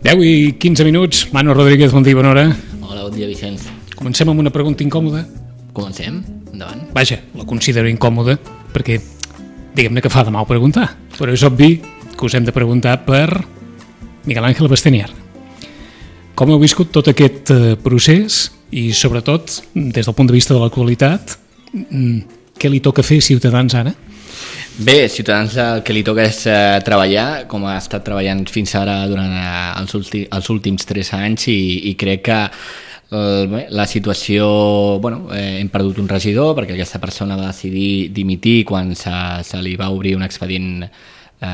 10 i 15 minuts. Manu Rodríguez, bon dia, bona hora. Hola, bon dia, Vicenç. Comencem amb una pregunta incòmoda. Comencem? Endavant. Vaja, la considero incòmoda perquè diguem-ne que fa de mal preguntar, però és obvi que us hem de preguntar per Miguel Ángel Bastenier. Com heu viscut tot aquest procés i, sobretot, des del punt de vista de l'actualitat, què li toca fer a Ciutadans ara? Bé, Ciutadans el que li toca és treballar, com ha estat treballant fins ara durant els últims 3 anys i crec que la situació... hem perdut un regidor perquè aquesta persona va decidir dimitir quan se li va obrir un expedient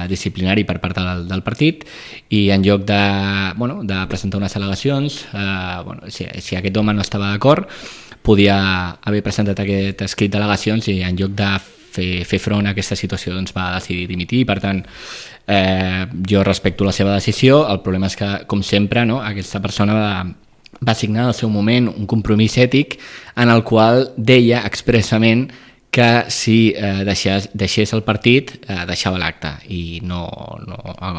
disciplinari per part del partit i en lloc de presentar unes al·legacions, si aquest home no estava d'acord, podia haver presentat aquest escrit d'al·legacions i en lloc de fer front a aquesta situació doncs va decidir dimitir. Per tant, jo respecto la seva decisió. El problema és que, com sempre, aquesta persona va signar al seu moment un compromís ètic en el qual deia expressament que si deixés el partit deixava l'acte i no ha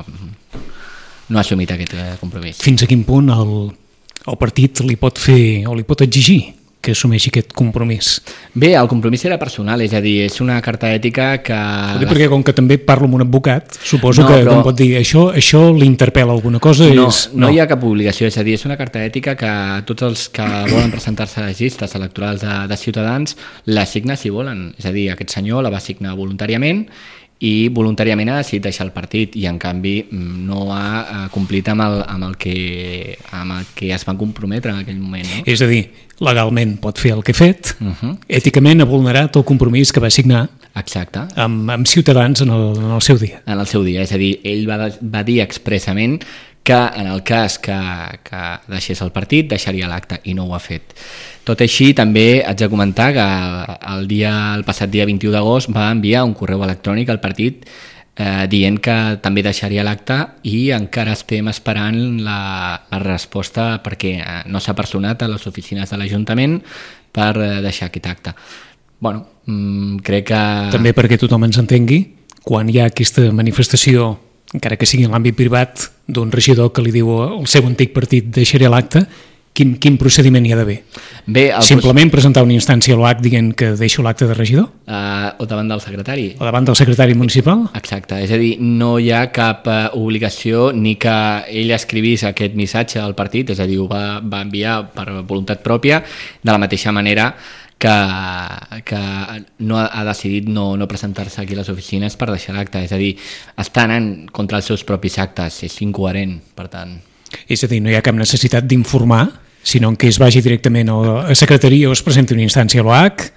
assumit aquest compromís. Fins a quin punt el partit li pot fer o li pot exigir que assumeixi aquest compromís? Bé, el compromís era personal, és a dir, és una carta ètica que... Perquè com que també parlo amb un advocat, suposo que em pot dir això l'interpel·la alguna cosa? No hi ha cap obligació, és a dir, és una carta ètica que tots els que volen presentar-se a les llistes electorals de Ciutadans la signa si volen, és a dir, aquest senyor la va signar voluntàriament i voluntàriament ha decidit deixar el partit i en canvi no ha complit amb el que es van comprometre en aquell moment. No? És a dir, legalment pot fer el que ha fet, èticament ha vulnerat el compromís que va signar. Exacte. Amb Ciutadans en el seu dia. En el seu dia, és a dir, ell va dir expressament que en el cas que deixés el partit deixaria l'acte i no ho ha fet. Tot així, també haig de comentar que el passat dia 21 d'agost va enviar un correu electrònic al partit dient que també deixaria l'acte i encara estem esperant la resposta perquè no s'ha personat a les oficines de l'Ajuntament per deixar aquest acte. Crec que... També perquè tothom ens entengui, quan hi ha aquesta manifestació, encara que sigui en l'àmbit privat, d'un regidor que li diu al seu antic partit deixaré l'acte, quin procediment hi ha d'haver? Simplement presentar una instància a l'OAC dient que deixo l'acte de regidor? O davant del secretari. O davant del secretari municipal? Exacte, és a dir, no hi ha cap obligació ni que ell escrivís aquest missatge al partit, és a dir, ho va enviar per voluntat pròpia, de la mateixa manera que no ha decidit no presentar-se aquí a les oficines per deixar l'acte, és a dir, està anant contra els seus propis actes, és incoherent, per tant. És a dir, no hi ha cap necessitat d'informar, sinó que es vagi directament a secretaria o es presenti una instància a l'OAC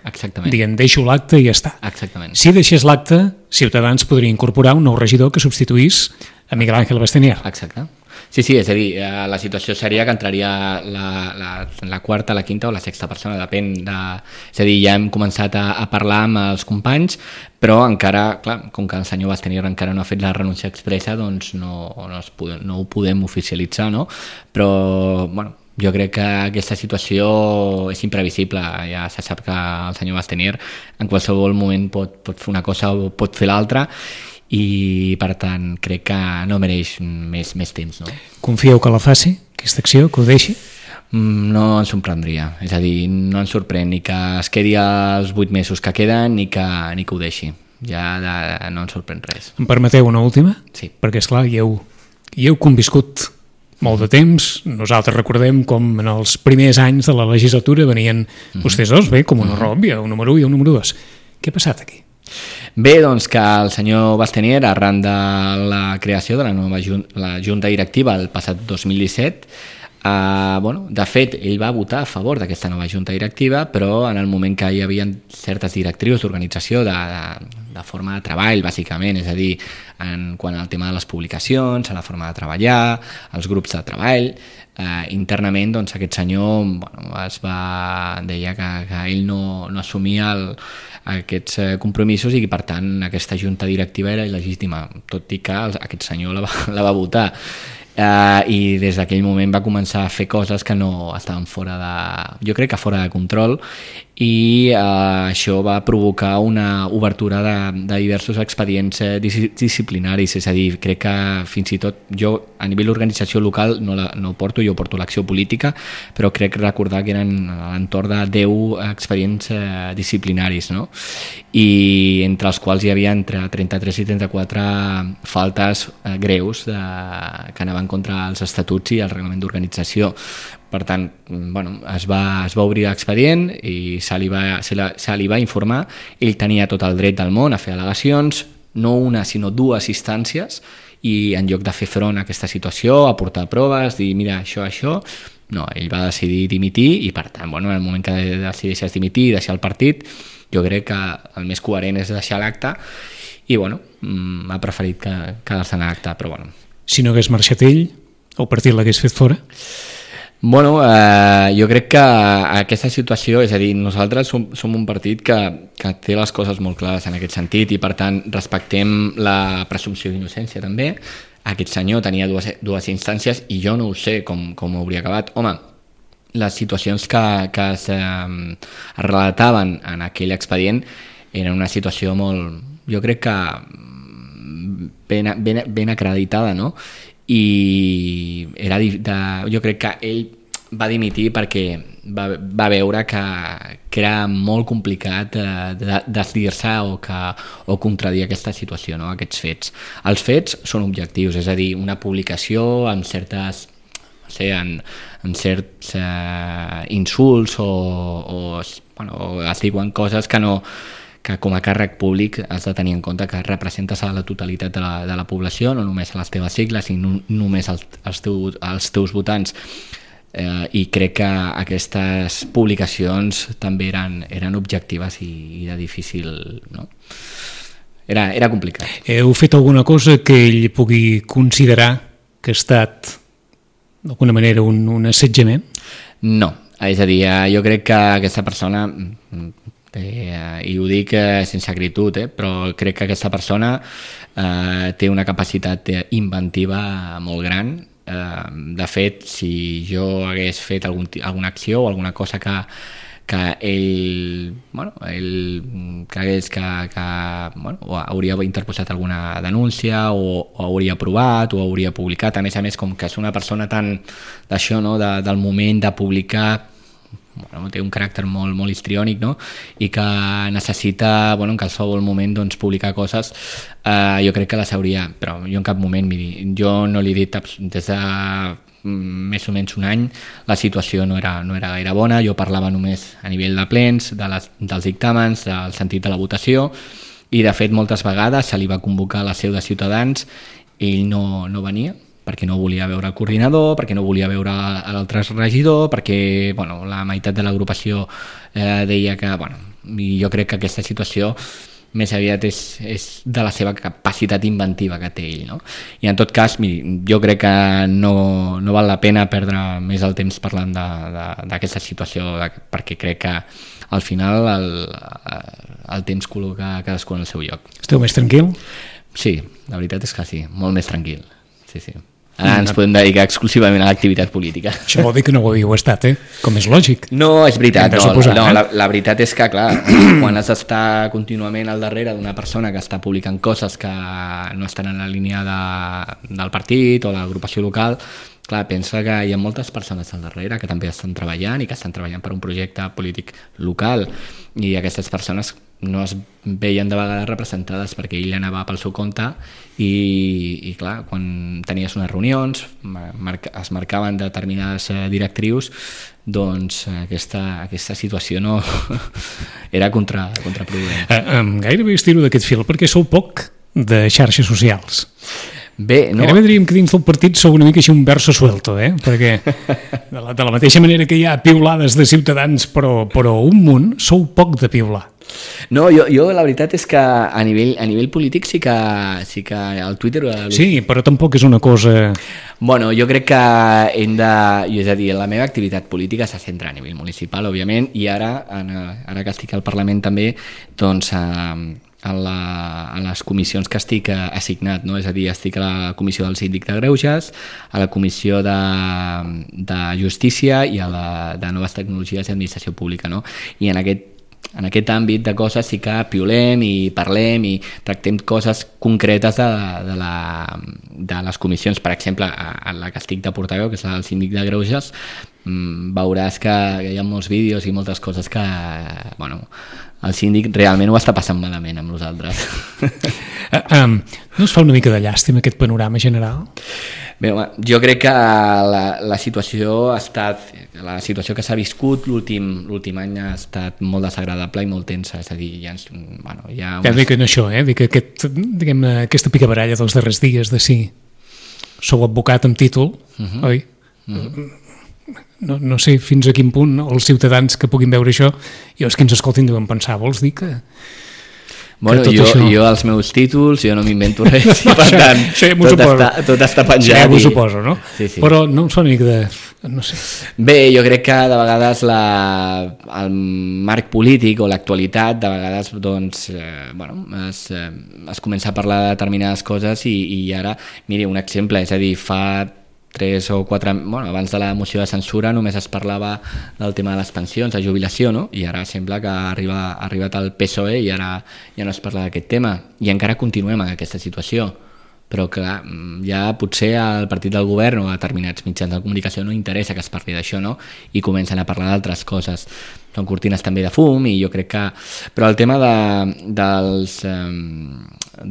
dient deixo l'acte i ja està. Exactament. Si deixés l'acte, Ciutadans podria incorporar un nou regidor que substituís a Miguel Ángel Bastenier. Exacte. Sí, és a dir, la situació seria que entraria la quarta, la quinta o la sexta persona, depèn de... És a dir, ja hem començat a parlar amb els companys, però encara, clar, com que el senyor Bastenier encara no ha fet la renúncia expressa, doncs no ho podem oficialitzar, no? Però, jo crec que aquesta situació és imprevisible, ja se sap que el senyor Bastenier en qualsevol moment pot fer una cosa o pot fer l'altra, i per tant crec que no mereix més temps. No? Confieu que la faci, aquesta acció, que ho deixi? No ens sorprendria, és a dir, no ens sorprèn ni que es quedi els 8 mesos que queden ni que ho deixi, ja no ens sorprèn res. Em permeteu una última? Sí. Perquè esclar, hi heu conviscut molt de temps, nosaltres recordem com en els primers anys de la legislatura venien vostès dos, bé, com una ròbia, un número 1 i un número 2. Què ha passat aquí? Bé, doncs que el senyor Bastenier, arran de la creació de la Junta Directiva el passat 2017, de fet, ell va votar a favor d'aquesta nova Junta Directiva, però en el moment que hi havia certes directrius d'organització de forma de treball, bàsicament, és a dir, quant al tema de les publicacions, a la forma de treballar, els grups de treball, internament doncs, aquest senyor deia que ell no assumia aquests compromisos i que per tant aquesta junta directiva era il·legítima, tot i que aquest senyor la va votar. I des d'aquell moment va començar a fer coses que no estaven jo crec que fora de control, i això va provocar una obertura de diversos expedients disciplinaris, és a dir, crec que fins i tot jo a nivell d'organització local no ho porto, jo porto l'acció política, però crec recordar que eren a l'entorn de 10 expedients disciplinaris, no? I entre els quals hi havia entre 33 i 34 faltes greus que anaven contra els estatuts i el reglament d'organització. Per tant, bueno, es va obrir l'expedient i se li va informar. Ell tenia tot el dret del món a fer al·legacions, no una sinó 2 instàncies, i en lloc de fer front a aquesta situació, aportar proves, dir mira això, no, ell va decidir dimitir i per tant, bueno, en el moment que decideixes dimitir i deixar el partit, jo crec que el més coherent és deixar l'acte i bueno, ha preferit quedar-se en l'acte, però bueno. Si no hagués marxat ell, el partit l'hagués fet fora? Bueno, jo crec que aquesta situació, és a dir, nosaltres som un partit que té les coses molt clares en aquest sentit i per tant respectem la presumpció d'innocència també. Aquest senyor tenia dues instàncies i jo no ho sé com hauria acabat. Home, les situacions que es relataven en aquell expedient eren una situació molt, jo crec que ben acreditada, no? I jo crec que ell va dimitir perquè va veure que era molt complicat desdir-se o contradir aquesta situació, no? Aquests fets. Els fets són objectius, és a dir, una publicació amb certes amb certs insults o es diuen coses que com a càrrec públic has de tenir en compte que representes a la totalitat de la població, no només a les teves sigles i no només als teus votants. I crec que aquestes publicacions també eren objectives i de difícil... No? Era complicat. Heu fet alguna cosa que ell pugui considerar que ha estat d'alguna manera un assetjament? No, és a dir, jo crec que aquesta persona... i ho dic sense acritud, però crec que aquesta persona té una capacitat inventiva molt gran. De fet, si jo hagués fet alguna acció o alguna cosa que ell cregués que hauria interposat alguna denúncia o hauria provat o hauria publicat, a més, com que és una persona tan d'això, no? Del moment de publicar, té un caràcter molt histriònic, no? I que necessita en qualsevol moment publicar coses, jo crec que les hauria, però jo en cap moment, miri, jo no li he dit des de més o menys un any, la situació no era gaire bona, jo parlava només a nivell de plens, dels dictàmens, del sentit de la votació, i de fet moltes vegades se li va convocar a la seu de Ciutadans, ell no venia, perquè no volia veure el coordinador, perquè no volia veure l'altre regidor, perquè la meitat de l'agrupació deia que... I jo crec que aquesta situació més aviat és de la seva capacitat inventiva que té ell, no? I en tot cas, miri, jo crec que no val la pena perdre més el temps parlant d'aquesta situació, perquè crec que al final el temps col·loca cadascú en el seu lloc. Esteu més tranquil? Sí, la veritat és que sí, molt més tranquil. Sí. Ara ens podem dedicar exclusivament a l'activitat política. Això vol dir que no ho havíeu estat, com és lògic. No, és veritat. La veritat és que, clar, quan has d'estar contínuament al darrere d'una persona que està publicant coses que no estan en la línia del partit o de l'agrupació local, clar, pensa que hi ha moltes persones al darrere que també estan treballant i que estan treballant per un projecte polític local, i aquestes persones no es veien de vegades representades perquè ell anava pel seu compte i clar, quan tenies unes reunions es marcaven determinades directrius, doncs aquesta situació no era contraproduent. Gairebé estiro d'aquest fil perquè sou poc de xarxes socials. Bé, no. Gairebé diríem que dins del partit sou una mica així un verso suelto, perquè de la mateixa manera que hi ha piulades de Ciutadans però un munt, sou poc de piular. No, jo la veritat és que a nivell polític sí que el Twitter... Sí, però tampoc és una cosa... Bueno, jo crec que és a dir, la meva activitat política se centra a nivell municipal, òbviament, i ara que estic al Parlament també, doncs a les comissions que estic assignat, no? És a dir, estic a la comissió del síndic de Greuges, a la comissió de justícia i a la de noves tecnologies i administració pública, no? I en aquest àmbit de coses sí que piulem i parlem i tractem coses concretes de les comissions. Per exemple, a la que estic de portaveu, que és el síndic de Greuges, veuràs que hi ha molts vídeos i moltes coses que el síndic realment ho està passant malament amb nosaltres. No us fa una mica de llàstima aquest panorama general? Bé, jo crec que la situació que s'ha viscut l'últim any ha estat molt desagradable i molt tensa, és a dir, dic això, dic aquesta picabaralla dels darrers dies de si sou advocat amb títol, oi? No sé fins a quin punt els ciutadans que puguin veure això i els que ens escoltin deuen pensar, vols dir que... Bueno, jo els meus títols, jo no m'invento res, i per tant, tot està penjat. Ja m'ho suposo, no? Sí. Però no em fa una mica de... no sé. Bé, jo crec que de vegades el marc polític o l'actualitat, de vegades doncs, es comença a parlar de determinades coses i ara, miri, un exemple, és a dir, fa 3 o 4... abans de la moció de censura només es parlava del tema de les pensions, de jubilació, no? I ara sembla que ha arribat al PSOE i ara ja no es parla d'aquest tema. I encara continuem en aquesta situació. Però clar, ja potser al partit del govern o a determinats mitjans de comunicació no interessa que es parli d'això, no? I comencen a parlar d'altres coses. Són cortines també de fum i jo crec que... Però el tema de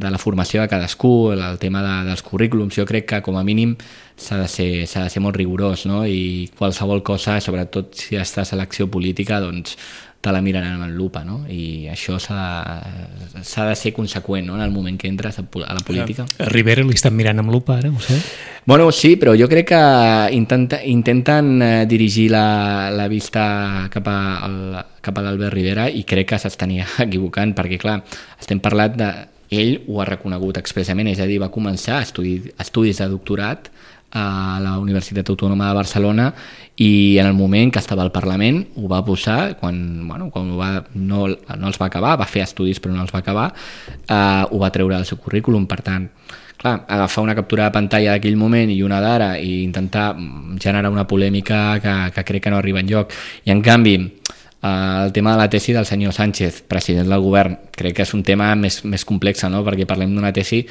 la formació de cadascú, el tema dels currículums, jo crec que com a mínim s'ha de ser molt rigorós, no? I qualsevol cosa, sobretot si estàs a l'acció política, doncs te la miren amb lupa, no? I això s'ha de ser conseqüent, no? En el moment que entres a la política. A Rivera li estan mirant amb lupa ara, ho sé? Bueno, sí, però jo crec que intenten dirigir la vista cap a l'Albert Rivera i crec que s'estania equivocant, perquè clar, estem parlant ell ho ha reconegut expressament, és a dir, va començar estudis de doctorat a la Universitat Autònoma de Barcelona i en el moment que estava al Parlament ho va posar, quan no els va acabar, va fer estudis però no els va acabar, ho va treure del seu currículum. Per tant, clar, agafar una captura de pantalla d'aquell moment i una d'ara i intentar generar una polèmica que crec que no arriba enlloc. I en canvi, el tema de la tesi del senyor Sánchez, president del govern, crec que és un tema més complex, no? Perquè parlem d'una tesi.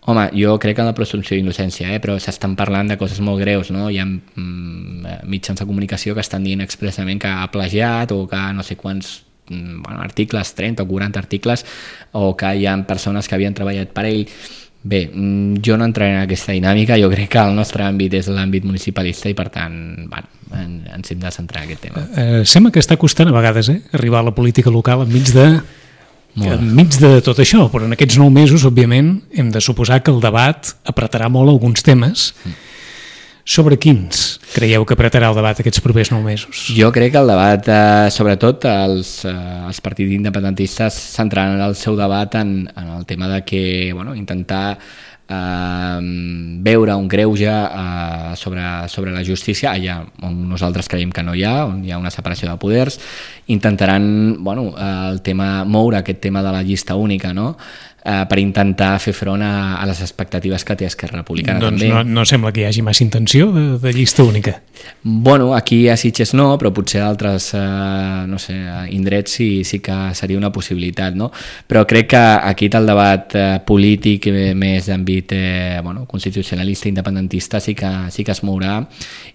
Home, jo crec en la presumpció d'innocència, però s'estan parlant de coses molt greus, no? Hi ha mitjans de comunicació que estan dient expressament que ha plagiat o que no sé quants articles, 30 o 40 articles, o que hi ha persones que havien treballat per ell. Bé, jo no entraré en aquesta dinàmica, jo crec que el nostre àmbit és l'àmbit municipalista i per tant ens hem de centrar en aquest tema. Sembla que està costant a vegades arribar a la política local enmig de tot això, però en aquests 9 mesos, òbviament, hem de suposar que el debat apretarà molt alguns temes. Sobre quins creieu que apretarà el debat aquests propers 9 mesos? Jo crec que el debat, sobretot els partits independentistes, centraran el seu debat en el tema de que intentar veure un greuge sobre la justícia allà on nosaltres creiem que no hi ha, on hi ha una separació de poders. Intentaran moure aquest tema de la llista única, no? Per intentar fer front a les expectatives que té Esquerra Republicana. Doncs també. No sembla que hi hagi massa intenció de llista única. Bueno, aquí a Sitges no, però potser a altres indrets sí que seria una possibilitat, no? Però crec que aquí el debat polític més d'àmbit constitucionalista independentista sí que es mourà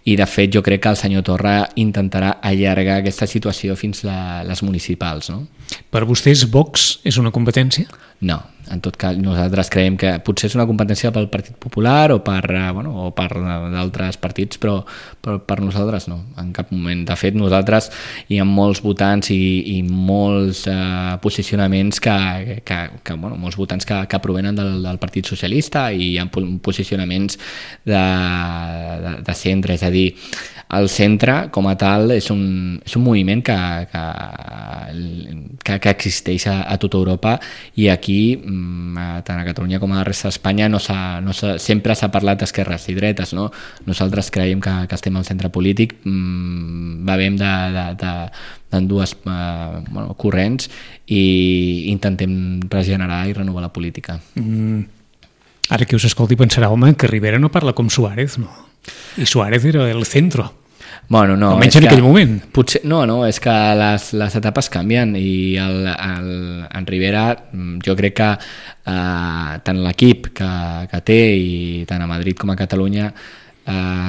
i de fet jo crec que el senyor Torra intentarà allargar aquesta situació fins a les municipals, no? Per vostès Vox és una competència? No, en tot cas nosaltres creiem que potser és una competència pel Partit Popular o per d'altres partits, però per nosaltres no, en cap moment. De fet, nosaltres hi ha molts votants i molts posicionaments molts votants que provenen del Partit Socialista i hi ha posicionaments de centre, és a dir, el centre, com a tal, és un moviment que existeix a tota Europa, i aquí, tant a Catalunya com a la resta d'Espanya, sempre s'ha parlat d'esquerres i dretes, no? Nosaltres creiem que estem al centre polític, bevem d'ambdues corrents i intentem regenerar i renovar la política. Ara que us escolti pensarà, home, que Rivera no parla com Suárez, no? I Suárez era el centro. Bueno, no, almenys en aquell moment. Potser, no, és que les etapes canvien, i en Rivera jo crec que tant l'equip que té, i tant a Madrid com a Catalunya,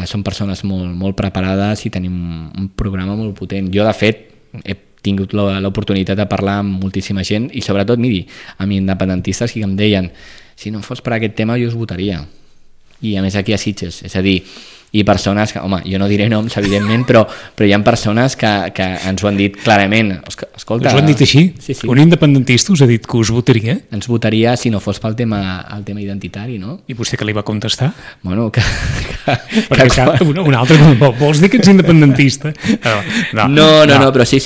són persones molt preparades i tenim un programa molt potent. Jo, de fet, he tingut l'oportunitat de parlar amb moltíssima gent, i sobretot, miri, amb independentistes que em deien: si no fos per aquest tema jo us votaria, i a més aquí a Sitges, és a dir, i persones que, home, jo no diré noms evidentment, però hi ha persones que ens ho han dit clarament. Escolta, us ho han dit així? Sí. Un independentista us ha dit que us votaria? Ens votaria si no fos pel tema identitari, no? I vostè què li va contestar? Bueno, un altre, vols dir que ets independentista? No, però sí.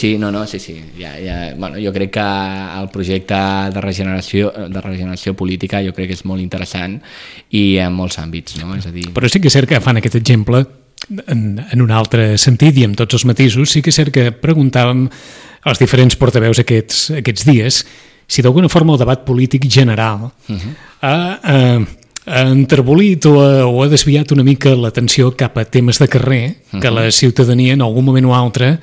Bueno, jo crec que el projecte de regeneració política jo crec que és molt interessant, i en molts àmbits, no? És a dir... Però sí que és cert que fan aquest exemple en un altre sentit, i amb tots els matisos. Sí que és cert que preguntàvem als diferents portaveus aquests dies si d'alguna forma el debat polític general ha enterbolit o ha desviat una mica l'atenció cap a temes de carrer que la ciutadania en algun moment o altre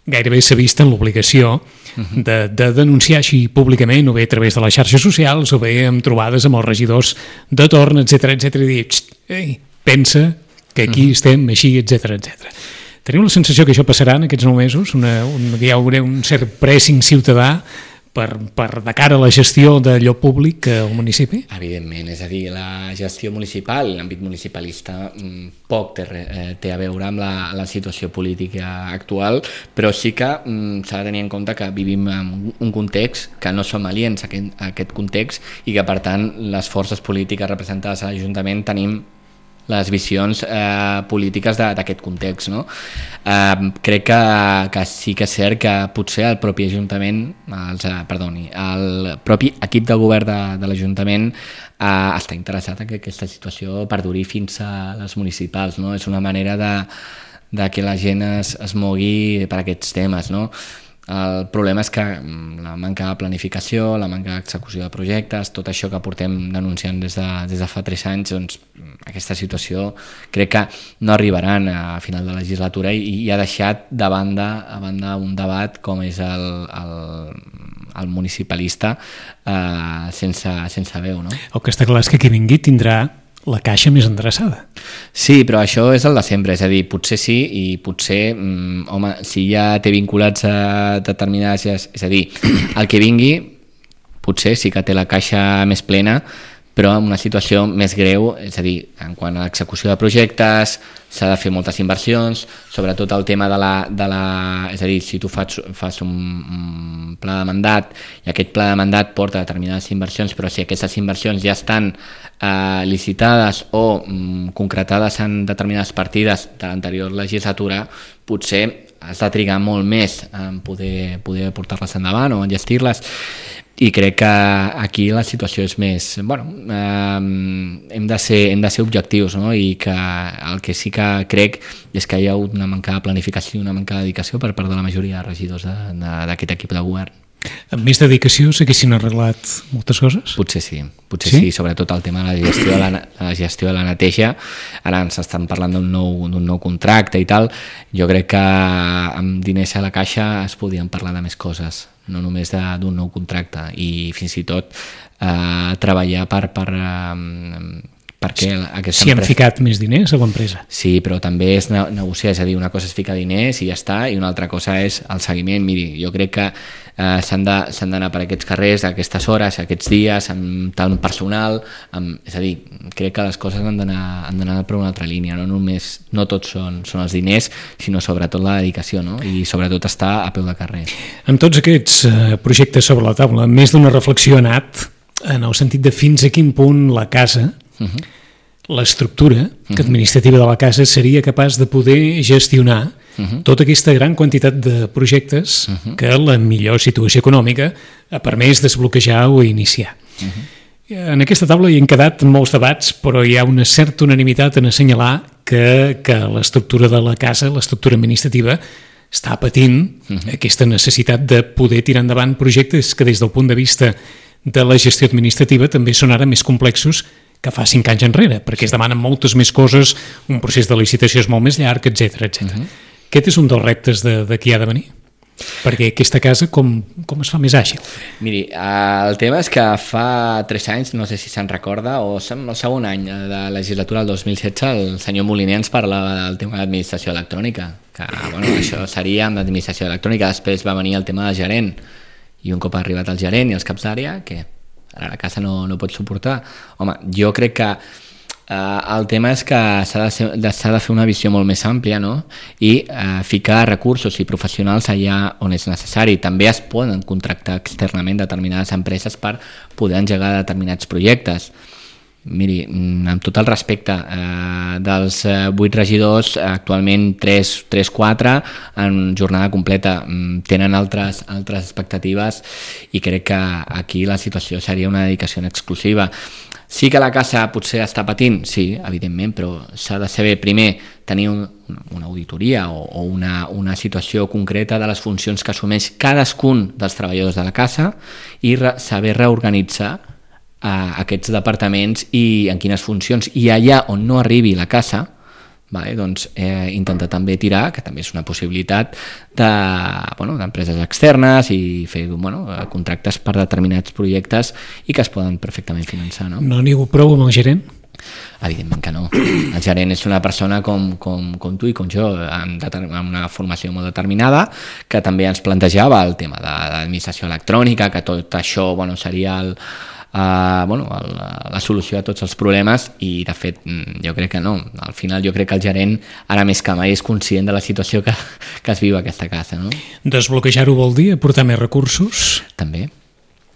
gairebé s'ha vist en l'obligació de denunciar així públicament, o bé a través de les xarxes socials, o bé amb trobades amb els regidors de torn, etc i dir, ei, pensa que aquí estem així, etc. Teniu la sensació que això passarà en aquests 9 mesos? Hi haurà un cert pressing ciutadà de cara a la gestió d'allò públic al municipi? Evidentment, és a dir, la gestió municipal, l'àmbit municipalista, poc té a veure amb la situació política actual, però sí que s'ha de tenir en compte que vivim en un context que no som aliens a aquest context, i que per tant les forces polítiques representades a l'Ajuntament tenim les visions polítiques d'aquest context, no? Crec que sí que és cert que potser el propi Ajuntament, el propi equip de govern de l'Ajuntament està interessat en que aquesta situació perduri fins a les municipals, no? És una manera de que la gent es mogui per aquests temes, no? El problema és que la manca de planificació, la manca d'execució de projectes, tot això que portem denunciant des de fa 3 anys, doncs aquesta situació crec que no arribaran a final de legislatura, i ha deixat a banda un debat com és el municipalista sense veu, no? El que està clar és que qui vingui tindrà la caixa més endreçada. Sí, però això és el de sempre, és a dir, potser sí, i potser, home, si ja té vinculats a determinades... És a dir, el que vingui potser sí que té la caixa més plena, però en una situació més greu, és a dir, en quant a l'execució de projectes, s'ha de fer moltes inversions, sobretot el tema és a dir, si tu fas un pla de mandat, i aquest pla de mandat porta determinades inversions, però si aquestes inversions ja estan licitades o concretades en determinades partides de l'anterior legislatura, potser has de trigar molt més en poder portar-les endavant o enllestir-les. I crec que aquí la situació és més... hem de ser objectius, no? I que el que sí que crec és que hi ha hagut una manca de planificació i una manca de dedicació per part de la majoria de regidors d'aquest equip de govern. Amb més dedicació s'haguessin arreglat moltes coses? Potser sí, sobretot el tema de la gestió de la neteja. Ara ens estan parlant d'un nou contracte i tal. Jo crec que amb diners a la caixa es podien parlar de més coses, no només d'un nou contracte, i fins i tot treballar perquè aquesta empresa... Si han ficat més diners a l'empresa. Sí, però també és negociar, és a dir, una cosa és ficar diners i ja està, i una altra cosa és el seguiment. Miri, jo crec que s'han d'anar per aquests carrers, a aquestes hores, a aquests dies, amb tal personal, és a dir, crec que les coses han d'anar per una altra línia, no tots són els diners, sinó sobretot la dedicació, no? I sobretot estar a peu de carrer. Amb tots aquests projectes sobre la taula, més d'una reflexió ha anat en el sentit de fins a quin punt la casa, l'estructura administrativa de la casa seria capaç de poder gestionar tota aquesta gran quantitat de projectes que la millor situació econòmica ha permès desbloquejar o iniciar. En aquesta taula hi han quedat molts debats, però hi ha una certa unanimitat en assenyalar que l'estructura de la casa, l'estructura administrativa, està patint aquesta necessitat de poder tirar endavant projectes que des del punt de vista de la gestió administrativa també són ara més complexos que fa 5 anys enrere, perquè es demanen moltes més coses, un procés de licitació és molt més llarg, etc. Aquest és un dels reptes de qui ha de venir. Perquè aquesta casa com es fa més àgil? Miri, el tema és que fa 3 anys, no sé si se'n recorda, o el segon any de la legislatura del 2016, el senyor Moliner ens parlava del tema d'administració electrònica, que això seria amb l'administració electrònica. Després va venir el tema de gerent, i un cop ha arribat el gerent i els caps d'àrea, que ara la casa no pot suportar. Home, jo crec que el tema és que s'ha de fer una visió molt més àmplia, no? I ficar recursos i professionals allà on és necessari. També es poden contractar externament determinades empreses per poder engegar determinats projectes. Miri, amb tot el respecte, dels 8 regidors, actualment 3-4 en jornada completa, tenen altres expectatives i crec que aquí la situació seria una dedicació en exclusiva. Sí que la casa potser està patint, sí, evidentment, però s'ha de saber primer tenir una auditoria o una situació concreta de les funcions que assumeix cadascun dels treballadors de la casa i saber reorganitzar aquests departaments i en quines funcions, i allà on no arribi la casa, doncs intentar també tirar, que també és una possibilitat, d'empreses externes i fer contractes per determinats projectes i que es poden perfectament finançar. No n'hi ha prou amb el gerent? Evidentment que no. El gerent és una persona com tu i com jo, amb una formació molt determinada, que també ens plantejava el tema de l'administració electrònica, que tot això seria la solució a tots els problemes, i de fet jo crec que no. Al final jo crec que el gerent ara més que mai és conscient de la situació que es viu a aquesta casa, no? Desbloquejar-ho vol dir aportar més recursos? També,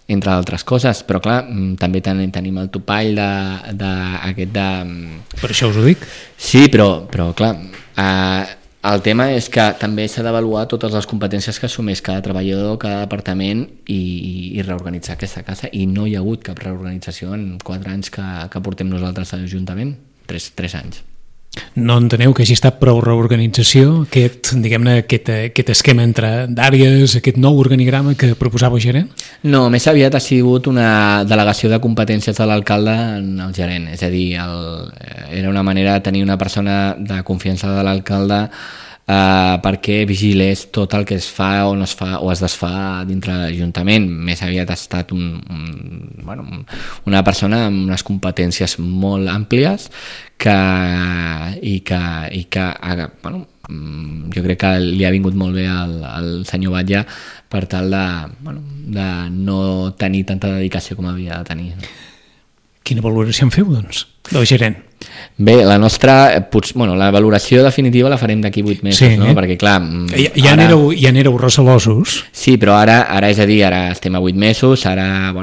entre altres coses, però clar, també tenim el topall d'aquest de... Per això us ho dic. Sí, però clar, el tema és que també s'ha d'avaluar totes les competències que assumeix cada treballador, cada departament, i reorganitzar aquesta casa, i no hi ha hagut cap reorganització en 4 anys que portem nosaltres a l'Ajuntament, 3 anys. No enteneu que hagi estat prou reorganització, aquest esquema entre d'àrees, aquest nou organigrama que proposava el gerent? No, més aviat ha sigut una delegació de competències de l'alcalde en el gerent, és a dir, era una manera de tenir una persona de confiança de l'alcalde perquè vigilés tot el que es fa o no es fa o es desfà dintre de l'Ajuntament. Més aviat ha estat una persona amb unes competències molt àmplies jo crec que li ha vingut molt bé al senyor Batlle per tal de no tenir tanta dedicació com havia de tenir. Quina valoració en feu, doncs, del gerent? Bé, la valoració definitiva la farem d'aquí 8 mesos, sí, no? Perquè clar... Ja n'éreu recelosos. Sí, però ara és a dir, ara estem a 8 mesos, ara,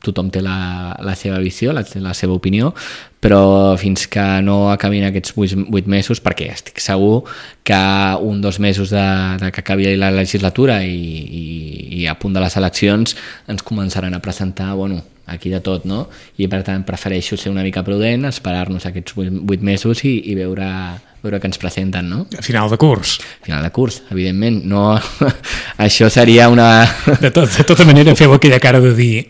tothom té la seva visió, la seva opinió, però fins que no acabin aquests 8 mesos, perquè estic segur que 1-2 mesos de que acabi la legislatura i a punt de les eleccions ens començaran a presentar, aquí de tot, no? I per tant prefereixo ser una mica prudent, esperar-nos aquests 8 mesos i veure què ens presenten, no? A final de curs. Final de curs, evidentment. No, això seria una... De tota manera, feu aquella cara de dir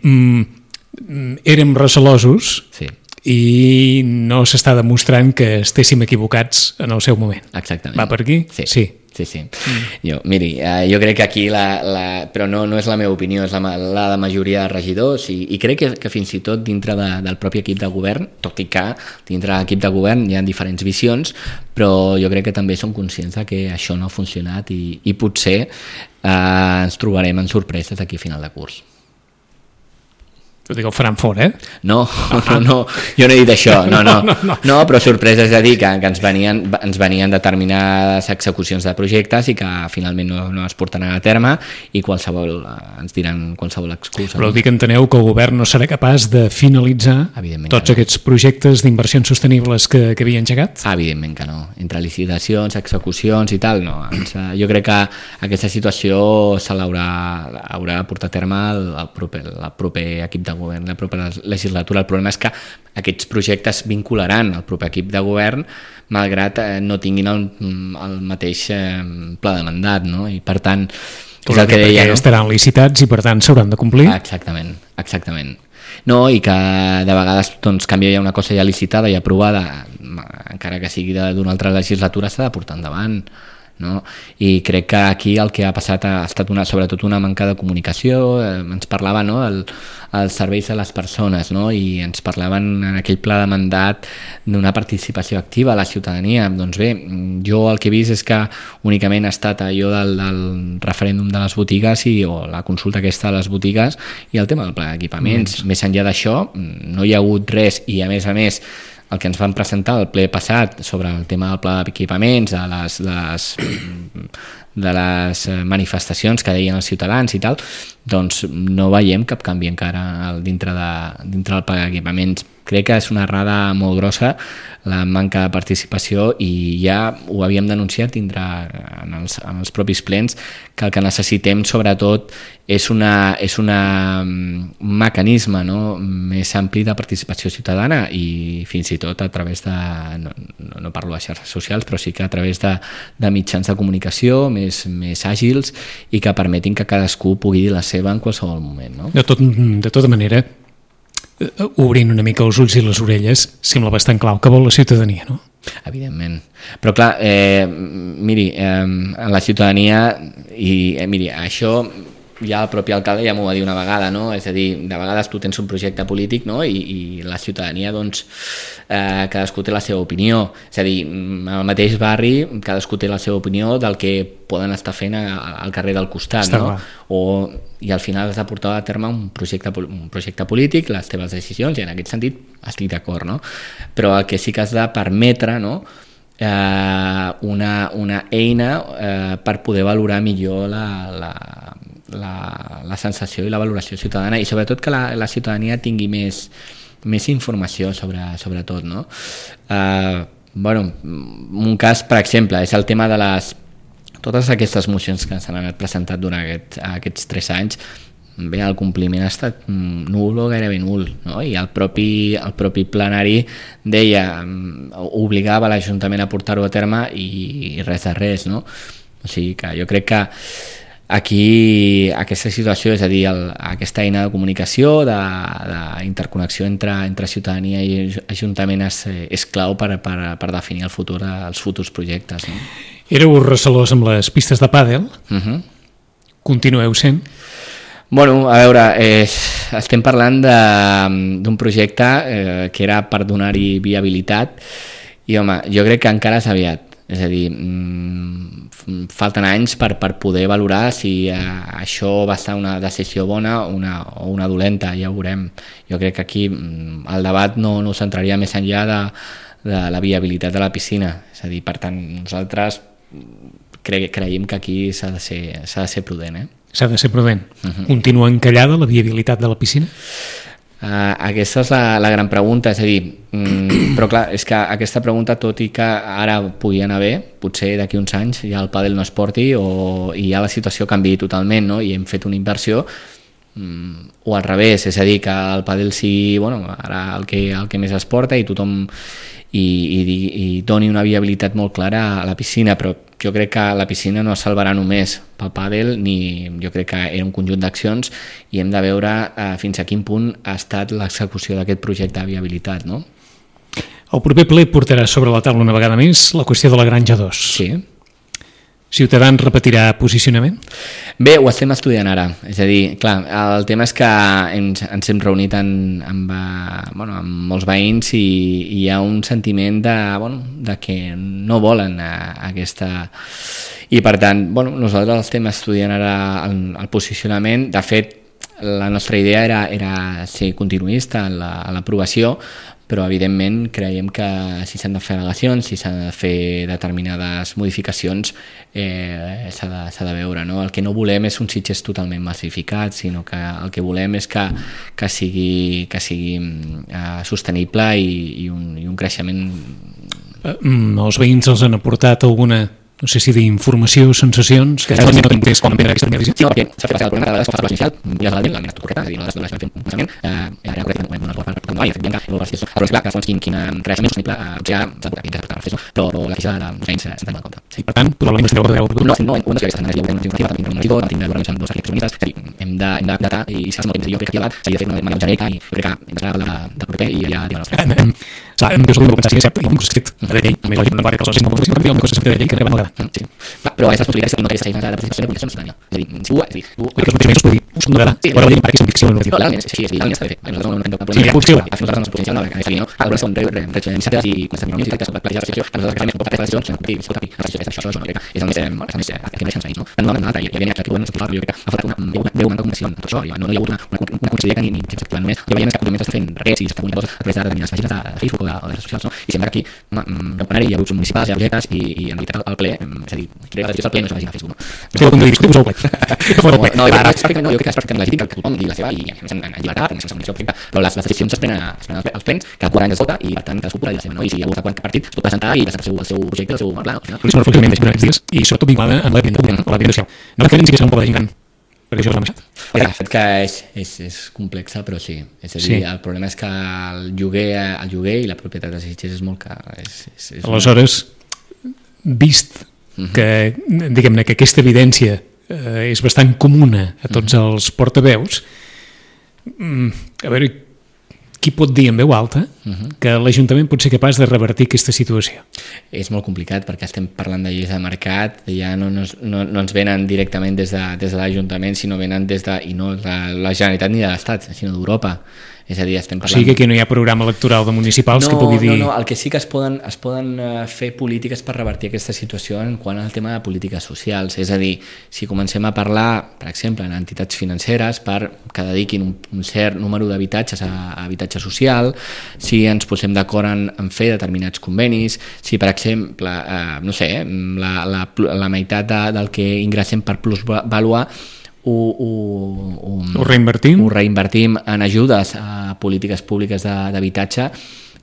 érem recelosos, sí, i no s'està demostrant que estéssim equivocats en el seu moment. Exactament. Va per aquí? Sí. Jo crec que aquí però no és la meva opinió, és la de majoria de regidors, i crec que fins i tot dintre del propi equip de govern, tot i que dintre de l'equip de govern hi ha diferents visions, però jo crec que també som conscients que això no ha funcionat i potser ens trobarem en sorpreses aquí a final de curs. Ho dic, el faran fora, No, jo no he dit això, no, però sorpresa és a dir que ens venien determinades execucions de projectes i que finalment no es portaran a terme i ens diran qualsevol excusa. Però dic que enteneu que el govern no serà capaç de finalitzar tots aquests projectes d'inversions sostenibles que havia engegat? Evidentment que no. Entre licitacions, execucions i tal, no. Jo crec que aquesta situació se haurà de portar a terme el proper equip de govern, la propera legislatura. El problema és que aquests projectes vincularan el proper equip de govern malgrat no tinguin el mateix pla de mandat, no? I per tant és el que deia, no? Estaran licitats i per tant s'hauran de complir. Exactament. No, i que de vegades doncs, canvia ja una cosa ja licitada i aprovada, encara que sigui d'una altra legislatura, s'ha de portar endavant, no? I crec que aquí el que ha passat ha estat sobretot una manca de comunicació. Ens parlava, no, els serveis a les persones, no? I ens parlaven en aquell pla de mandat d'una participació activa a la ciutadania. Doncs bé, jo el que he vist és que únicament ha estat allò del referèndum de les botigues o la consulta aquesta de les botigues i el tema del pla d'equipaments. Més enllà d'això no hi ha hagut res i a més el que ens van presentar al ple passat sobre el tema del pla d'equipaments, de les manifestacions que deien els ciutadans i tal, doncs no veiem cap canvi encara dintre del pla d'equipaments. Crec que és una errada molt grossa la manca de participació i ja ho havíem denunciat en els propis plens, que el que necessitem sobretot és un mecanisme, no, més ampli de participació ciutadana i fins i tot a través de, no parlo de xarxes socials, però sí que a través de mitjans de comunicació més àgils i que permetin que cadascú pugui dir la seva en qualsevol moment, no? De tota manera, obrint una mica els ulls i les orelles, sembla bastant clau que vol la ciutadania, no? Evidentment. Però clar, miri, la ciutadania, miri, això ja el propi alcalde ja m'ho va dir una vegada, no? És a dir, de vegades tu tens un projecte polític, no? I la ciutadania, doncs, cadascú té la seva opinió. És a dir, al mateix barri cadascú té la seva opinió del que poden estar fent al carrer del costat, no? I al final has de portar a terme un projecte polític, les teves decisions, i en aquest sentit estic d'acord, no? Però el que sí que has de permetre, no?, una eina per poder valorar millor la sensació i la valoració ciutadana i sobretot que la ciutadania tingui més informació sobre tot, no? Un cas, per exemple, és el tema de totes aquestes mocions que s'han anat presentat durant aquests 3 anys. Bé, el compliment ha estat nul o gairebé nul, no? I el propi plenari deia, obligava l'Ajuntament a portar-ho a terme i res de res, no? O sigui que jo crec que aquí aquesta situació, és a dir, aquesta eina de comunicació, d'interconnexió entre ciutadania i Ajuntament és clau per definir els futurs projectes, no? Éreu recelós amb les pistes de pàdel? Continueu sent? Bueno, a veure, estem parlant d'un projecte que era per donar-hi viabilitat i, home, jo crec que encara és aviat. És a dir, falten anys per poder valorar si això va ser una decisió bona o una dolenta, ja ho veurem. Jo crec que aquí el debat no centraria més enllà de la viabilitat de la piscina. És a dir, per tant, nosaltres creiem que aquí s'ha de ser prudent, S'ha de ser prudent. Continua encallada la viabilitat de la piscina? Aquesta és la gran pregunta, és a dir, però clar, és que aquesta pregunta, tot i que ara pugui anar bé, potser d'aquí uns anys ja el pàdel no es porti i ja la situació canviï totalment, no? I hem fet una inversió o al revés, és a dir, que el pàdel sigui ara el que més es porta i tothom i doni una viabilitat molt clara a la piscina, però jo crec que la piscina no es salvarà només pel pàdel, jo crec que era un conjunt d'accions i hem de veure fins a quin punt ha estat l'execució d'aquest projecte de viabilitat, no? El proper ple portarà sobre la taula una vegada més la qüestió de la Granja 2. Sí. Ciutadans repetirà posicionament? Bé, ho estem estudiant ara. És a dir, clar, el tema és que ens hem reunit amb molts veïns i hi ha un sentiment de que no volen aquesta... I per tant, nosaltres estem estudiant ara el posicionament. De fet, la nostra idea era ser continuista en l'aprovació, però evidentment creiem que si s'han de fer al·legacions, si s'han de fer determinades modificacions, s'ha de veure, no? El que no volem és un Sitges totalment massificat, sinó que el que volem és que sigui sostenible i un creixement. Els veïns els han aportat alguna, no sé si d'informació o sensacions que no tinc temps com emprendre aquesta visió? Sí, perquè s'ha fet passar el problema de vegades com fa inicial, mires l'aliment, l'aliment torqueta, és a dir, no les fem un pensament, era correcte, no es pot fer per i de fet bien que no per fer-ho, però és clar que fons quin creixement sostenible potser ja s'ha de fer-ho, però la queixa dels veïns s'ha de tenir en compte. I per tant, probablement estareu a veure. No, ho hem de fer aquesta setmana, ja ho hem tingut també un monitor, també un amb dos arquitectes, és a dir, hem de datar i si molt temps, jo crec que aquí al s'havia de fer una manera genèrica i crec que hem d'esperar de proper i ja dirà la nostra. Jo sols pensar si és cert, hi ha un cos fet de llei, més lògic, no va que els socis no volen, sinó que hi ha un cos fet de llei que arriba a vegada. Sí, però aquestes possibilitats no aquesta feina de participació de publicació no s'han. És a dir, si ho... Que els mesos podria us donarà, però la llei perquè és una ficció normativa. Legalment és així, legalment està bé. Nosaltres no tenim cap problema. Sí, ja puc escriure. A nosaltres no ens potencial no, que és no. Algunes són iniciatives i quan estem en que són plantejades de restricció, a nosaltres que fem poques decisions, hem de escoltar, això és el més que deixen veïns, no? No hem anat, i evidentment aquí podem explicar, jo crec que ha faltat una veu una comunicació en tot això, no hi ha hagut una conselleria que ni s'activa només, ja veiem que actualment està fent res i s'està comunicant a través de determinades pàgines de Facebook o de redes socials, no? I sembla que aquí hi ha grups municipals, hi ha projectes i en veritat el ple, és a dir, crec que la decisió del ple no és a Facebook, no? Estic al punt de discutir-vos al ple. No, jo crec que és perfectament legítim que tothom digui la seva i en llibertat, sense munició perfecta, però les decisions es prenen als plens, que el 40 es vota i per tant cadascú podrà dir la seva, no? I si hi ha hagut qualsevol partit es pot presentar i presentar el seu projecte, el seu pla, no? Però és una reflexió més aquests dies i sobretot vinculada amb la vivenda social. No que sí que serà un poble de gent gran, perquè això és l'ha passat. De fet que és complexa, però sí. És a dir, el problema és que el lloguer i la propietat de Sitges és molt car. Aleshores, vist que, diguem-ne, que aquesta evidència és bastant comuna a tots els portaveus, a veure, qui pot dir en veu alta que l'Ajuntament pot ser capaç de revertir aquesta situació? És molt complicat perquè estem parlant de lleis de mercat, ja no ens venen directament des de l'Ajuntament, sinó venen des de, i no de la Generalitat ni de l'Estat, sinó d'Europa. És a dir, estem parlant... O sigui que aquí no hi ha programa electoral de municipals que pugui dir... No, el que sí que es poden fer polítiques per revertir aquesta situació en quant al tema de polítiques socials. És a dir, si comencem a parlar, per exemple, en entitats financeres que dediquin un cert número d'habitatges a habitatge social, si ens posem d'acord en fer determinats convenis, si, per exemple, no sé, la meitat del que ingressem per plusvàlua ho reinvertim en ajudes a polítiques públiques d'habitatge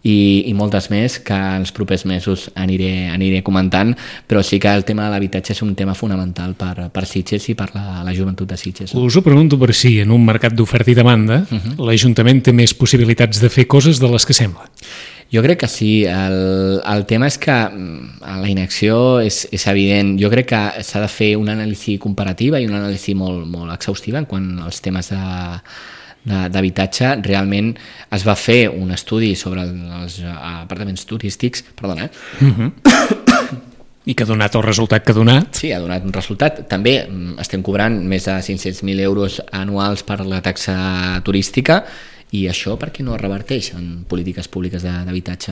i moltes més que en els propers mesos aniré comentant, però sí que el tema de l'habitatge és un tema fonamental per Sitges i per la joventut de Sitges. Us ho pregunto per si en un mercat d'oferta i demanda l'Ajuntament té més possibilitats de fer coses de les que sembla. Jo crec que sí, el tema és que la inacció és evident. Jo crec que s'ha de fer una anàlisi comparativa i una anàlisi molt, molt exhaustiva en quant als temes d'habitatge. Realment es va fer un estudi sobre els apartaments turístics, i que ha donat el resultat que ha donat. Sí, ha donat un resultat. També estem cobrant més de 500.000 euros anuals per la taxa turística. I això per què no es reverteix en polítiques públiques d'habitatge?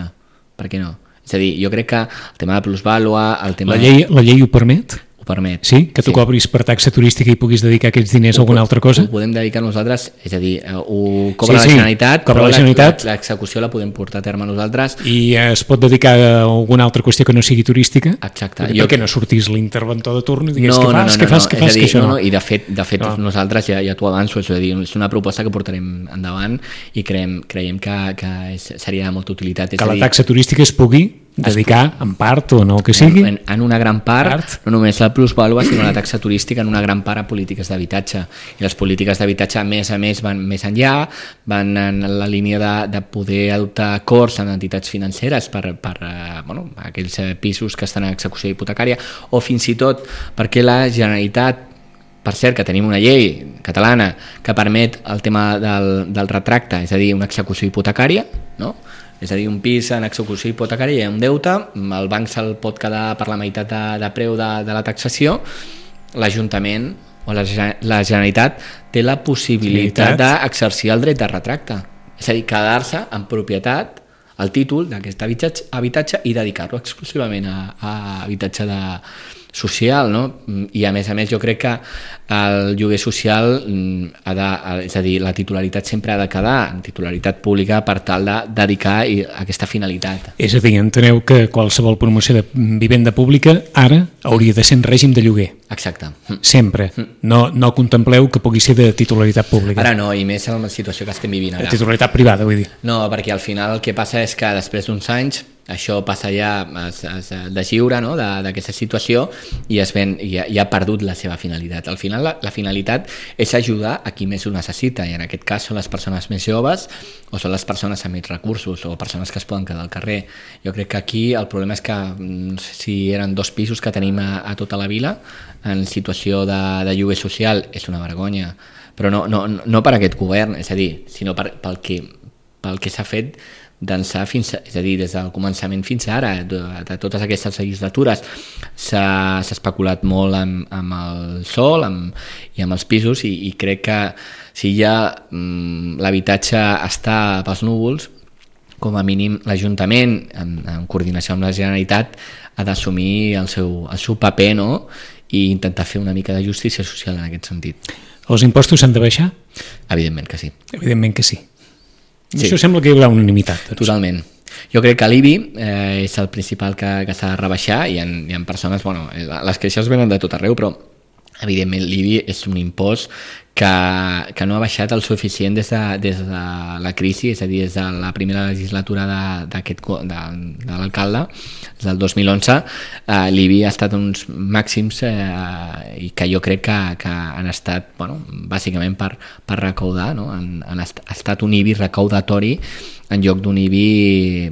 Per què no? És a dir, jo crec que el tema de plusvàlua... La llei ho permet? Ho permet. Sí? Que tu cobris per taxa turística i puguis dedicar aquests diners a alguna altra cosa? Ho podem dedicar nosaltres, és a dir, ho cobra la Generalitat, però l'execució la podem portar a terme nosaltres. I es pot dedicar a alguna altra qüestió que no sigui turística? Exacte. Per què no sortís l'interventor de torn i digués què fas, que això no? I de fet nosaltres, ja t'ho avanço, és a dir, és una proposta que portarem endavant i creiem que seria de molta utilitat. Que la taxa turística es pugui dedicar en part o no que sigui en una gran part, no només la plusvàlua sinó la taxa turística en una gran part a polítiques d'habitatge, i les polítiques d'habitatge a més van més enllà, van en la línia de poder adoptar acords amb entitats financeres per aquells pisos que estan en execució hipotecària, o fins i tot perquè la Generalitat, per cert que tenim una llei catalana que permet el tema del retracte, és a dir, una execució hipotecària, no? És a dir, un pis en execució hipotecària hi ha un deute, el banc se'l pot quedar per la meitat de preu de la taxació, l'Ajuntament o la Generalitat té la possibilitat d'exercir el dret de retracte, és a dir, quedar-se en propietat el títol d'aquest habitatge i dedicar-lo exclusivament a habitatge social, no? I a més jo crec que el lloguer social és a dir, la titularitat sempre ha de quedar en titularitat pública per tal de dedicar a aquesta finalitat. És a dir, enteneu que qualsevol promoció de vivenda pública ara hauria de ser en règim de lloguer. Exacte. Sempre. No contempleu que pugui ser de titularitat pública. Ara no, i més en la situació que estem vivint ara. De titularitat privada, vull dir. No, perquè al final el que passa és que després d'uns anys això passa ja es deslliura, no?, d'aquesta situació i ja ha perdut la seva finalitat. Al final la finalitat és ajudar a qui més ho necessita, i en aquest cas són les persones més joves o són les persones amb més recursos o persones que es poden quedar al carrer. Jo crec que aquí el problema és que no sé si eren 2 pisos que tenim a tota la vila en situació de lloguer social, és una vergonya, però no per aquest govern, és a dir, sinó pel que s'ha fet d'ençà és a dir, des del començament fins ara, de totes aquestes legislatures s'ha especulat molt amb el sòl i amb els pisos, i crec que si ja l'habitatge està pels núvols, com a mínim l'Ajuntament, en coordinació amb la Generalitat, ha d'assumir el seu paper, no?, i intentar fer una mica de justícia social en aquest sentit. Els impostos s'han de baixar? Evidentment que sí. Evidentment que sí. Sí. Això sembla que hi haurà unanimitat. Doncs. Totalment. Jo crec que l'IBI és el principal que s'ha de rebaixar, i hi ha persones, bueno, les queixes venen de tot arreu, però evidentment l'IBI és un impost que no ha baixat el suficient des de la crisi, és a dir, des de la primera legislatura de l'alcalde, des del 2011, l'IBI ha estat uns màxims i que jo crec que han estat, bueno, bàsicament per recaudar, no? Ha estat un IBI recaudatori en lloc d'un IBI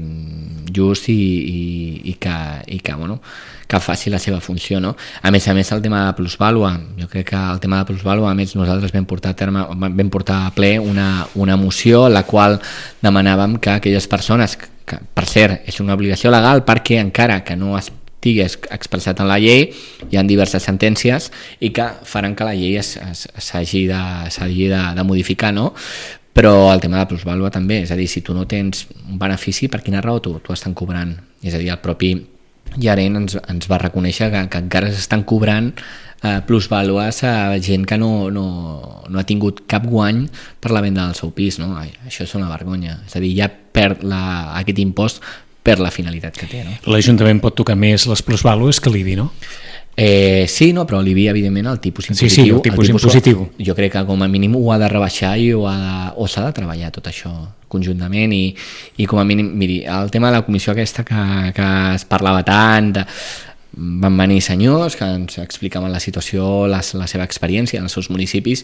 just i que bueno, que faci la seva funció, no? A més, el tema de plusvàlua, jo crec que el tema de plusvàlua, a més, nosaltres vam portar a ple una moció en la qual demanàvem que aquelles persones, que per cert és una obligació legal perquè encara que no estigués expressat en la llei, hi ha diverses sentències i que faran que la llei s'hagi de modificar, no? Però el tema de la plusvàlua també, és a dir, si tu no tens un benefici, per quina raó t'ho estan cobrant? És a dir, el propi Llarén ens va reconèixer que encara s'estan cobrant plusvàlues a gent que no ha tingut cap guany per la venda del seu pis, no? Això és una vergonya, és a dir, ja perd aquest impost per la finalitat que té, no? L'Ajuntament pot tocar més les plusvàlues que l'IBI, no? Sí, no, però l'IBI, evidentment, el tipus impositiu... Sí, el tipus impositiu. Jo crec que com a mínim ho ha de rebaixar o s'ha de treballar tot això conjuntament i com a mínim, miri, el tema de la comissió aquesta que es parlava tant, van venir senyors que ens explicaven la situació, la seva experiència en els seus municipis,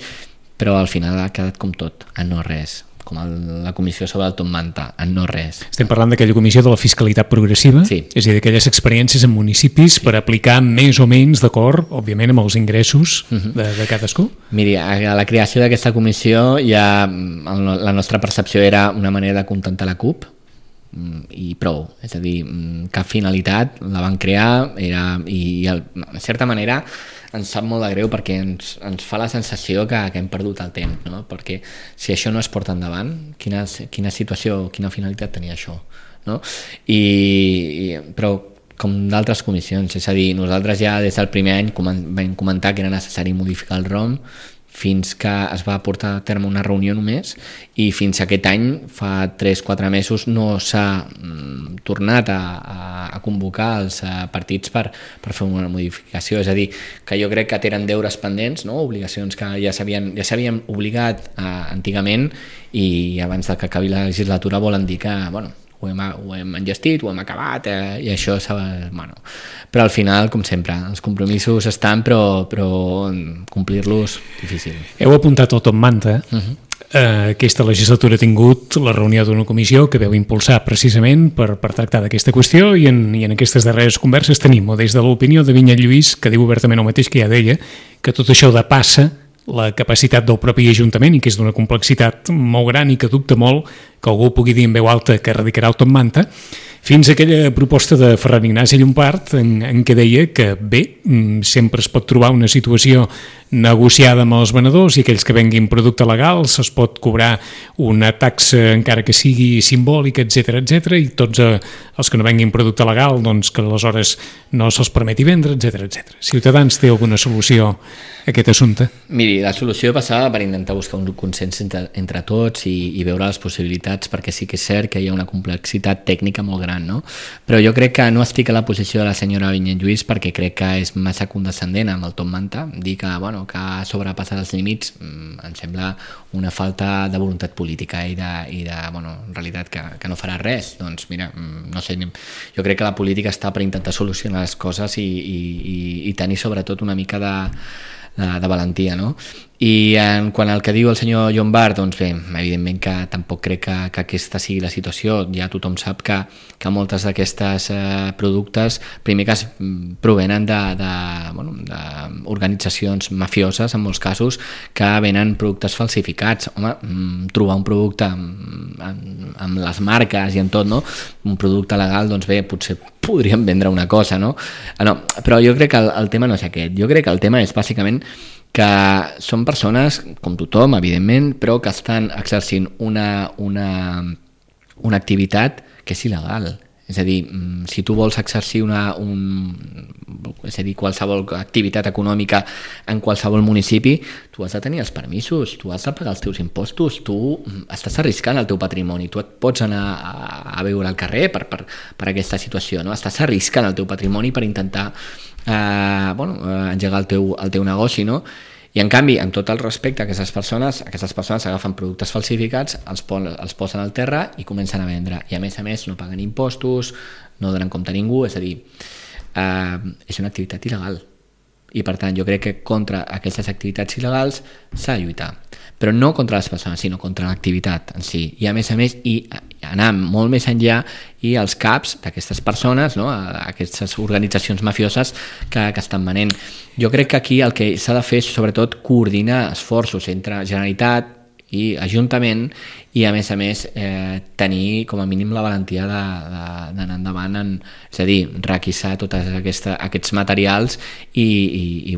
però al final ha quedat com tot, en no res, com la comissió sobre el Top Manta, en no res. Estem parlant d'aquella comissió de la fiscalitat progressiva, sí. És a dir, d'aquelles experiències en municipis per aplicar més o menys d'acord, òbviament, amb els ingressos de cadascú. Miri, a la creació d'aquesta comissió ja la nostra percepció era una manera de contentar la CUP i prou, és a dir, cap finalitat, la van crear i de certa manera ens sap molt de greu perquè ens fa la sensació que hem perdut el temps, no? Perquè si això no es porta endavant, quina situació, quina finalitat tenia això, no? Però com d'altres comissions, és a dir, nosaltres ja des del primer any vam comentar que era necessari modificar el ROM, fins que es va portar a terme una reunió només, i fins a aquest any, fa 3-4 mesos, no s'ha tornat a convocar els partits per fer una modificació. És a dir, que jo crec que tenen deures pendents, no? Obligacions que ja s'havien obligat antigament, i abans que acabi la legislatura volen dir que, bueno, ho hem enllestit, ho hem acabat, i això bueno. Però al final, com sempre, els compromisos estan, però complir-los difícil. Heu apuntat el Top Manta. Aquesta legislatura ha tingut la reunió d'una comissió que veu impulsar precisament per tractar d'aquesta qüestió, i en aquestes darreres converses tenim des de l'opinió de Vinyet Lluís, que diu obertament el mateix que ja deia, que tot això depassa la capacitat del propi Ajuntament i que és d'una complexitat molt gran i que dubta molt que algú pugui dir en veu alta que erradicarà el Top Manta, fins a aquella proposta de Ferran Ignasi Llompart en què deia que bé, sempre es pot trobar una situació negociada amb els venedors i aquells que venguin producte legal se'ls pot cobrar una taxa encara que sigui simbòlica, etc i tots els que no venguin producte legal doncs que aleshores no se'ls permeti vendre, etc. Ciutadans té alguna solució a aquest assumpte? Miri, la solució passava per intentar buscar un consens entre tots i veure les possibilitats, perquè sí que és cert que hi ha una complexitat tècnica molt gran, no? Però jo crec que no estic a la posició de la senyora Vinyet Lluís perquè crec que és massa condescendent amb el Tom Manta, dir que, bueno, que ha sobrepassat els límits em sembla una falta de voluntat política i de bueno, en realitat que no farà res. Doncs mira, no sé, jo crec que la política està per intentar solucionar les coses i tenir sobretot una mica de valentia, no? I en quant al que diu el senyor Llombart, doncs bé, evidentment que tampoc crec que aquesta sigui la situació. Ja tothom sap que moltes d'aquestes productes, primer que provenen d'organitzacions mafioses, en molts casos, que venen productes falsificats. Home, trobar un producte amb les marques i en tot, no? Un producte legal, doncs bé, potser podríem vendre una cosa, no? Però jo crec que el tema no és aquest. Jo crec que el tema és bàsicament que són persones, com tothom, evidentment, però que estan exercint una activitat que és il·legal. És a dir, si tu vols exercir qualsevol activitat econòmica en qualsevol municipi, tu has de tenir els permisos, tu has de pagar els teus impostos, tu estàs arriscant el teu patrimoni, tu et pots anar a veure al carrer per aquesta situació, no? Estàs arriscant el teu patrimoni per intentar engegar el teu negoci, no? I en canvi, amb tot el respecte a aquestes persones agafen productes falsificats, els posen al terra i comencen a vendre, i a més no paguen impostos, no donen compte a ningú, és a dir, és una activitat il·legal, i per tant jo crec que contra aquestes activitats il·legals s'ha de lluitar, però no contra les persones, sinó contra l'activitat en si, i a més i anar molt més enllà, i els caps d'aquestes persones, no? Aquestes organitzacions mafioses que estan venent. Jo crec que aquí el que s'ha de fer és sobretot coordinar esforços entre Generalitat i Ajuntament, i a més tenir com a mínim la valentia d'anar endavant, és a dir, requisar tots aquests materials i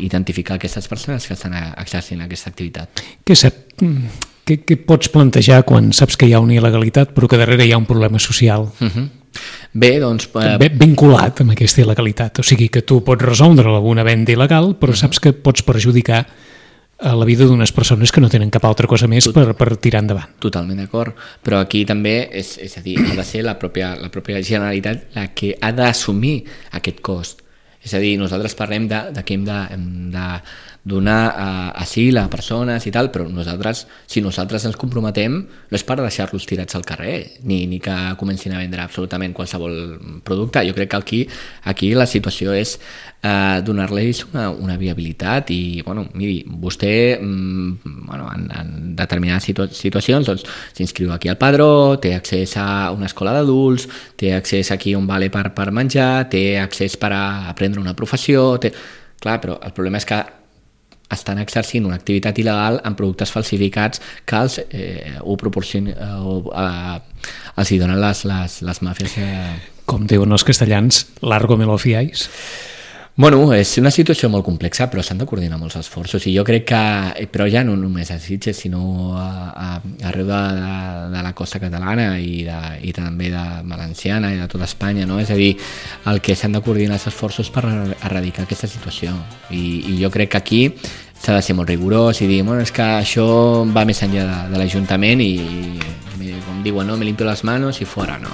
identificar aquestes persones que estan exercint aquesta activitat. Què pots plantejar quan saps que hi ha una il·legalitat però que darrere hi ha un problema social? Bé, doncs... vinculat amb aquesta il·legalitat, o sigui que tu pots resoldre alguna venda il·legal però saps que pots perjudicar a la vida d'unes persones que no tenen cap altra cosa més per tirar endavant. Totalment d'acord, però aquí també és a dir, ha de ser la pròpia Generalitat la que ha d'assumir aquest cost. És a dir, nosaltres parlem de que hem de donar asil a persones i tal, però si nosaltres ens comprometem no és per deixar-los tirats al carrer ni que comencin a vendre absolutament qualsevol producte. Jo crec que aquí la situació és donar-los una viabilitat i, miri, vostè en determinades situacions doncs s'inscriu aquí al padró, té accés a una escola d'adults, té accés aquí a un vale per menjar, té accés per aprendre una professió, clar, però el problema és que estan exercint una activitat il·legal amb productes falsificats que els hi donen les màfies. Com diuen els castellans, largo me lo fiáis. Bueno, és una situació molt complexa, però s'han de coordinar molts esforços, i jo crec que, però ja no només a Sitges, sinó arreu de la costa catalana i també de valenciana i de tota Espanya, no? És a dir, el que s'han de coordinar els esforços per erradicar aquesta situació, i jo crec que aquí s'ha de ser molt rigorós i dir, és que això va més enllà de l'Ajuntament i com diuen, no, me limpio les manos i fora, no.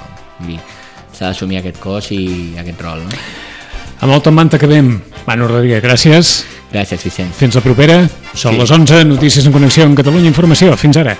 S'ha d'assumir aquest cos i aquest rol, no? Amb el Tom Manta acabem. Manu Rodríguez, gràcies. Gràcies, Vicenç. Fins la propera. Són les 11, notícies en connexió amb Catalunya Informació. Fins ara.